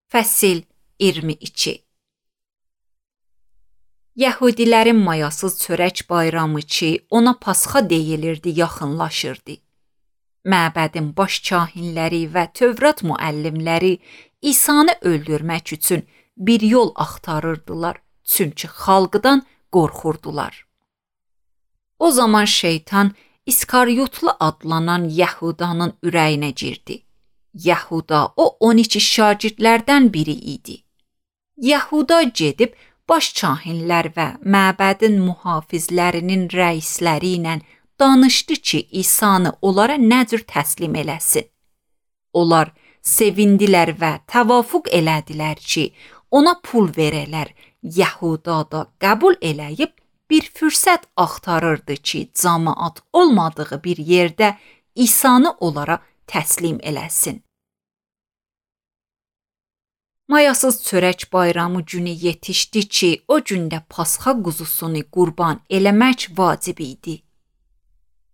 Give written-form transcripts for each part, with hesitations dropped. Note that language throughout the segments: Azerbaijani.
Fəsil 22. Yəhudilərin mayasız çörək bayramı ki, ona Pasxa deyilirdi, yaxınlaşırdı. Məbədin baş kahinləri və Tövrat müəllimləri İsanı öldürmək üçün bir yol axtarırdılar, çünki xalqdan qorxurdular. O zaman şeytan İskaryotlu adlanan Yəhudanın ürəyinə girdi. Yəhuda o 12 şagirdlərdən biri idi. Yəhuda gedib baş kahinlər və məbədin mühafizlərinin rəisləri ilə danışdı ki, İsanı onlara nə cür təslim eləsin. Onlar sevindilər və təvafuq elədilər ki, ona pul verələr. Yəhuda da qəbul eləyib bir fürsət axtarırdı ki, cəmaət olmadığı bir yerdə İsanı onlara təslim eləsin. Mayasız çörək bayramı günü yetişdi ki, o gündə Pasxa quzusunu qurban eləmək vacib idi.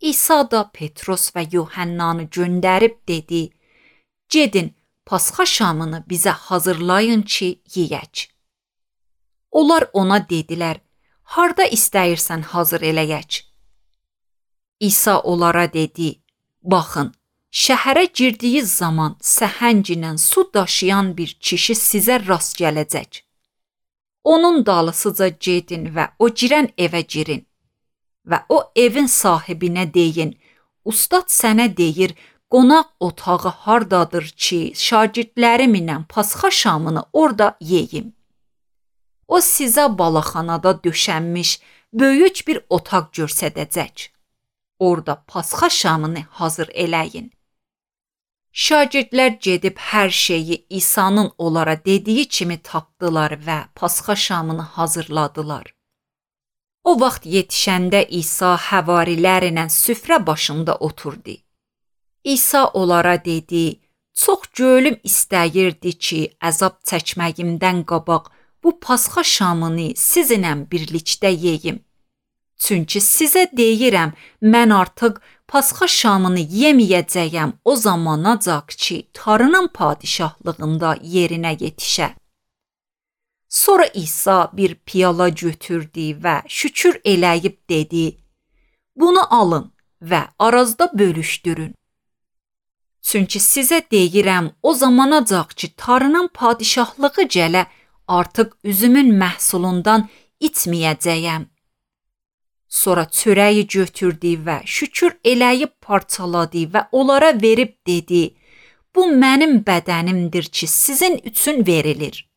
İsa da Petros və Yuhannanı göndərib dedi, gedin Pasxa şamını bizə hazırlayın ki, yeyək. Onlar ona dedilər, harda istəyirsən hazır eləyək? İsa onlara dedi, baxın, şəhərə girdiyi zaman səhəng ilə su daşıyan bir kişi sizə rast gələcək. Onun dalısıca gedin və o girən evə girin. Və o evin sahibinə deyin, ustad sənə deyir, qonaq otağı hardadır ki, şagirdlərim ilə Pasxa şamını orada yeyim. O sizə balaxanada döşənmiş böyük bir otaq göstərəcək. Orada Pasxa şamını hazır eləyin. Şagirdlər gedib hər şeyi İsa'nın onlara dediyi kimi tapdılar və Pasxa şamını hazırladılar. O vaxt yetişəndə İsa həvarilərlə süfrə başında oturdu. İsa onlara dedi, çox gönlüm istəyirdi ki, əzab çəkməyimdən qabaq bu Pasxa şamını sizinlə birlikdə yeyim. Çünki sizə deyirəm, mən artıq Pasxa şamını yeməyəcəyəm o zamanacaq ki, Tanrının padişahlığında yerinə yetişə. Sonra İsa bir piyala götürdü və şükür eləyib dedi, bunu alın və arazda bölüşdürün. Çünki sizə deyirəm, o zamanacaq ki, Tanrının padişahlığı gələ, artıq üzümün məhsulundan içməyəcəyəm. Sonra çörəyi götürdü və şükür eləyib parçaladı və onlara verib dedi, bu mənim bədənimdir ki, sizin üçün verilir.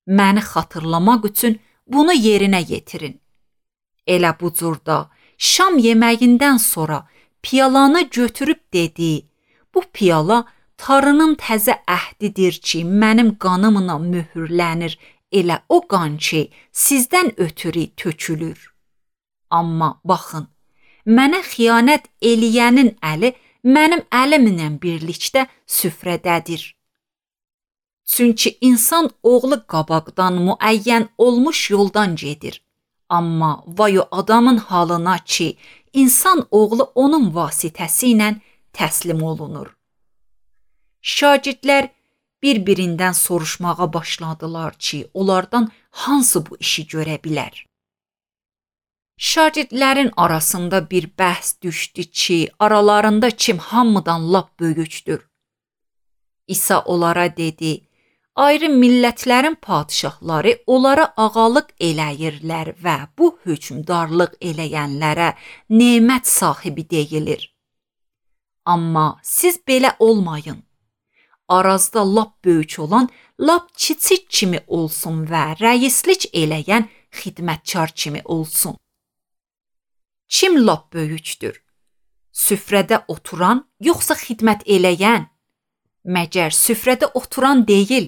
Məni xatırlamaq üçün bunu yerinə yetirin. Elə bu cürdə şam yeməyindən sonra piyalanı götürüb dedi, bu piyala Tanrının təzə əhdidir ki, mənim qanımla möhürlənir, elə o qan ki, sizdən ötürü tökülür. Amma baxın, mənə xiyanət eləyənin əli mənim əlimlə birlikdə süfrədədir. Çünki insan oğlu qabaqdan müəyyən olmuş yoldan gedir. Amma vay o adamın halına ki, insan oğlu onun vasitəsilə təslim olunur. Şagirdlər bir-birindən soruşmağa başladılar ki, onlardan hansı bu işi görə bilər? Şagirdlərin arasında bir bəhs düşdü ki, aralarında kim hamıdan lap böyükdür. İsa onlara dedi, ayrı millətlərin padişahları onlara ağalıq eləyirlər və bu hökmdarlıq eləyənlərə nemət sahibi deyilir. Amma siz belə olmayın. Arazda lap böyük olan lap kiçik kimi olsun və rəislik eləyən xidmətkar kimi olsun. Kim lap böyükdür? Süfrədə oturan, yoxsa xidmət eləyən? Məgər süfrədə oturan deyil.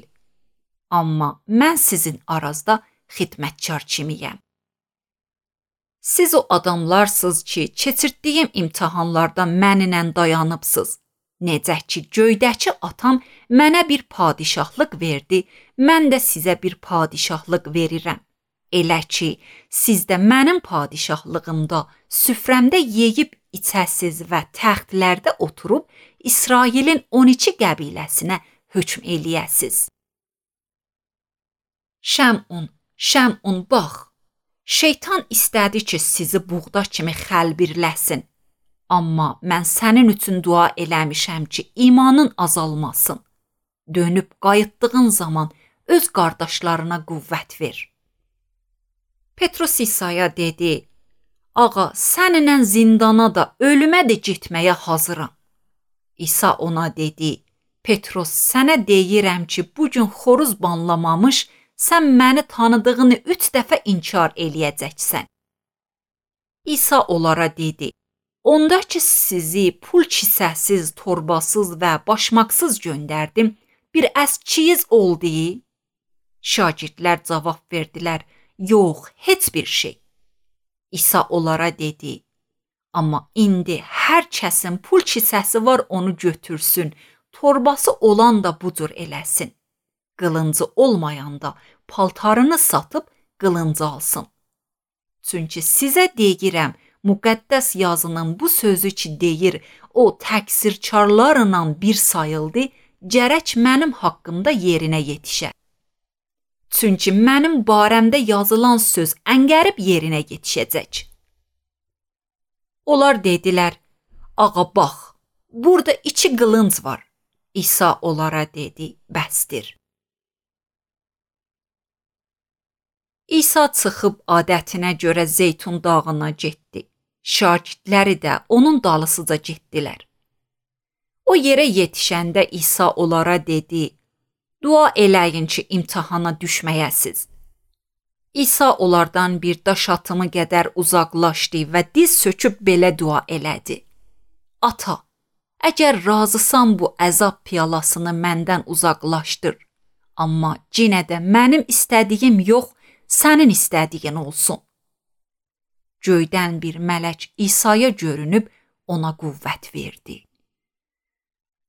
Amma mən sizin arazda xidmətkar kimiyəm. Siz o adamlarsınız ki, keçirdiyim imtahanlarda mənimlə dayanıbsınız. Necə ki, göydəki atam mənə bir padişahlıq verdi, mən də sizə bir padişahlıq verirəm. Elə ki, siz də mənim padişahlığımda süfrəmdə yeyib içəsiz və təxtlərdə oturub İsrailin 12 qəbiləsinə hökm eləyəsiz. Şəmun, bax. Şeytan istədi ki, sizi buğda kimi xəlbirləsin. Amma mən sənin üçün dua eləmişəm ki, imanın azalmasın. Dönüb qayıtdığın zaman öz qardaşlarına qüvvət ver. Petrus İsa'ya dedi: Ağa, səninlə zindana da, ölümə də getməyə hazıram. İsa ona dedi: Petrus, sənə deyirəm ki, bugün xoruz banlamamış, sən məni tanıdığını 3 dəfə inkar eləyəcəksən. İsa onlara dedi: Onda ki, sizi pul kisəsiz, torbasız və başmaqsız göndərdim, bir əskiyiz oldu? Şagirdlər cavab verdilər: Yox, heç bir şey. İsa onlara dedi: Amma indi hər kəsin pul kisəsi var, onu götürsün, torbası olan da budur eləsin. Qılıncı olmayan da paltarını satıb qılıncı alsın. Çünki sizə deyirəm, müqəddəs yazının bu sözü ki deyir, o təqsirkarlarla bir sayıldı, gərək mənim haqqımda yerinə yetişər. Çünki mənim barəmdə yazılan söz əngərib yerinə yetişəcək. Onlar dedilər: Ağa, bax, burada 2 qılınc var. İsa onlara dedi: Bəsdir. İsa çıxıb adətinə görə Zeytun dağına getdi. Şagirdləri də onun dalısıca getdilər. O yerə yetişəndə İsa onlara dedi: Dua eləyin ki, imtahana düşməyəsiz. İsa onlardan bir daş atımı qədər uzaqlaşdı və diz söküb belə dua elədi: Ata, əgər razısan bu əzab piyalasını məndən uzaqlaşdır. Amma yenə də mənim istədiyim yox, sənin istədiyin olsun. Göydən bir mələk İsa'ya görünüb ona qüvvət verdi.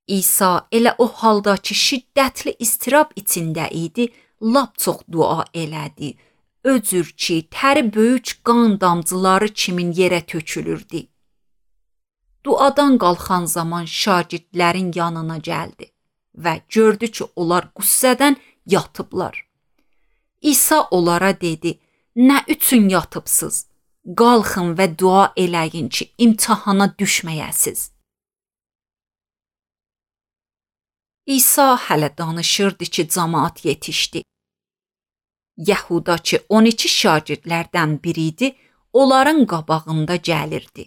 İsa elə o halda ki, şiddətli istirab içində idi, lap çox dua elədi. Öcür ki, təri böyük qan damcıları kimin yerə tökülürdü. Duadan qalxan zaman şagirdlərin yanına gəldi və gördü ki, onlar qüssədən yatıblar. İsa onlara dedi: Nə üçün yatıbsınız? Qalxın və dua eləyin ki, imtahana düşməyəsiz. İsa hələ danışırdı ki, cəmaət yetişdi. Yəhuda ki, 12 şagirdlərdən biri idi, onların qabağında gəlirdi.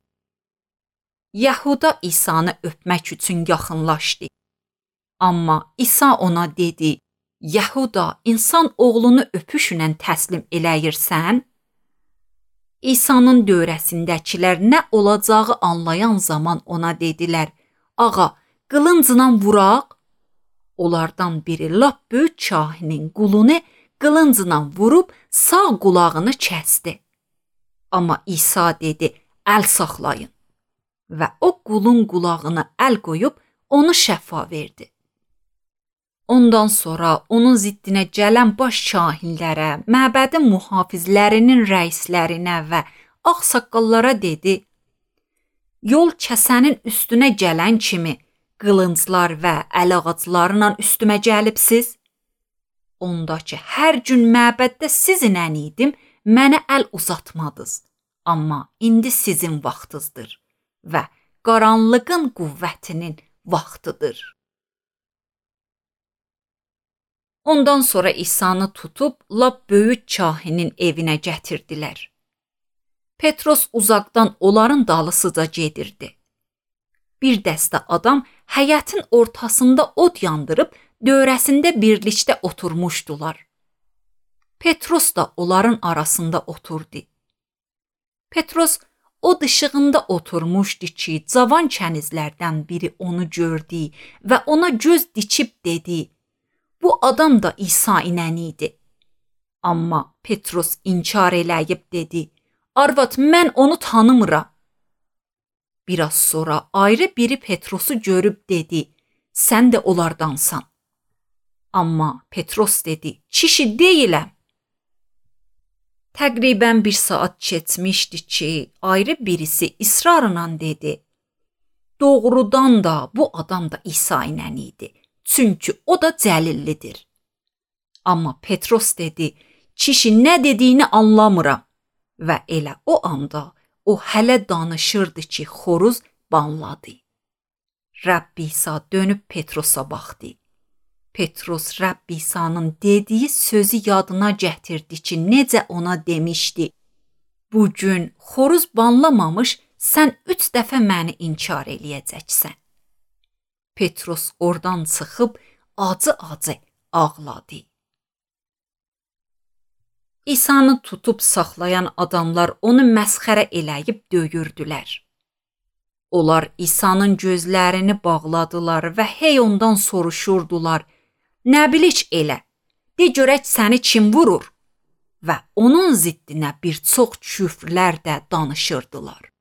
Yəhuda İsa'nı öpmək üçün yaxınlaşdı. Amma İsa ona dedi: Yəhuda, insan oğlunu öpüşlə təslim eləyirsən? İsa'nın dövrəsindəkilər nə olacağı anlayan zaman ona dedilər: Ağa, qılıncla vuraq? Onlardan biri lap böyük kahinin qulunu qılıncla vurub sağ qulağını kəsdi. Amma İsa dedi: Əl saxlayın. Və o qulun qulağına əl qoyub onu şəfa verdi. Ondan sonra onun ziddinə gələn baş kahinlərə, məbədin mühafizlərinin rəislərinə və ağsaqqallara dedi: Yol kəsənin üstünə gələn kimi qılınclar və əl ağaclarla üstümə gəlibsiz? Onda ki, hər gün məbəddə sizinlə idim, mənə əl uzatmadınız. Amma indi sizin vaxtınızdır və qaranlığın qüvvətinin vaxtıdır. Ondan sonra İsa'nı tutub lap böyük kahinin evinə gətirdilər. Petros uzaqdan onların dalısıca gedirdi. Bir dəstə adam həyətin ortasında od yandırıb dövrəsində birlikdə oturmuşdular. Petros da onların arasında oturdu. Petros o dışığında oturmuşdu ki, cavan kənizlərdən biri onu gördü və ona göz dikib dedi: Bu adam da İsa ilə idi. Amma Petros inkar eləyib dedi: Arvad, mən onu tanımıram. Biraz sonra ayrı biri Petrosu görüb dedi: Sən də onlardansan. Amma Petros dedi: Kişi deyiləm. Təqribən 1 saat keçmişdi ki, ayrı birisi israrla dedi: Doğrudan da bu adam da İsa ilə idi. Çünki o da Cəlillidir. Amma Petros dedi, kişi nə dediyini anlamıram. Və elə o anda o hələ danışırdı ki, xoruz banladı. Rəbb İsa dönüb Petrosa baxdı. Petros Rəbb İsa'nın dediyi sözü yadına gətirdi ki, necə ona demişdi. Bugün xoruz banlamamış, sən 3 dəfə məni inkar eləyəcəksən. Petros oradan çıxıb acı-acı ağladı. İsa'nı tutub saxlayan adamlar onu məsxərə eləyib döyürdülər. Onlar İsa'nın gözlərini bağladılar və hey ondan soruşurdular, nə bilik elə, de görək səni kim vurur? Və onun ziddinə bir çox küfrlər də danışırdılar.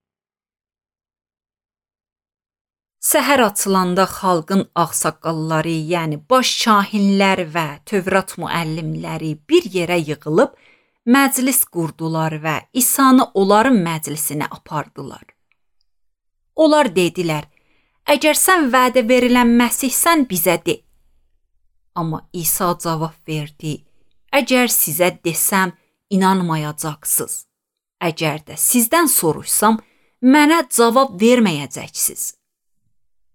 Səhər açılanda xalqın ağsaqqalları, yəni baş kahinlər və Tövrat müəllimləri bir yerə yığılıb, məclis qurdular və İsa'nı onların məclisinə apardılar. Onlar dedilər, əgər sən vədə verilən Məsihsən, bizə de. Amma İsa cavab verdi, əgər sizə desəm, inanmayacaqsınız. Əgər də sizdən soruşsam, mənə cavab verməyəcəksiniz.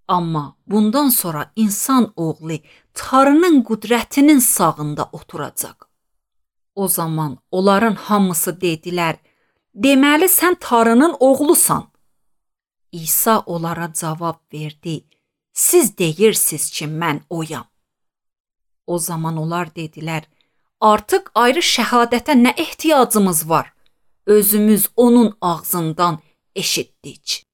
Amma bundan sonra insan oğlu Tanrının qüdrətinin sağında oturacaq. O zaman onların hamısı dedilər, deməli sən Tanrının oğlusan. İsa onlara cavab verdi, siz deyirsiniz ki, mən oyam. O zaman onlar dedilər, artıq ayrı şəhadətə nə ehtiyacımız var? Özümüz onun ağzından eşitdik.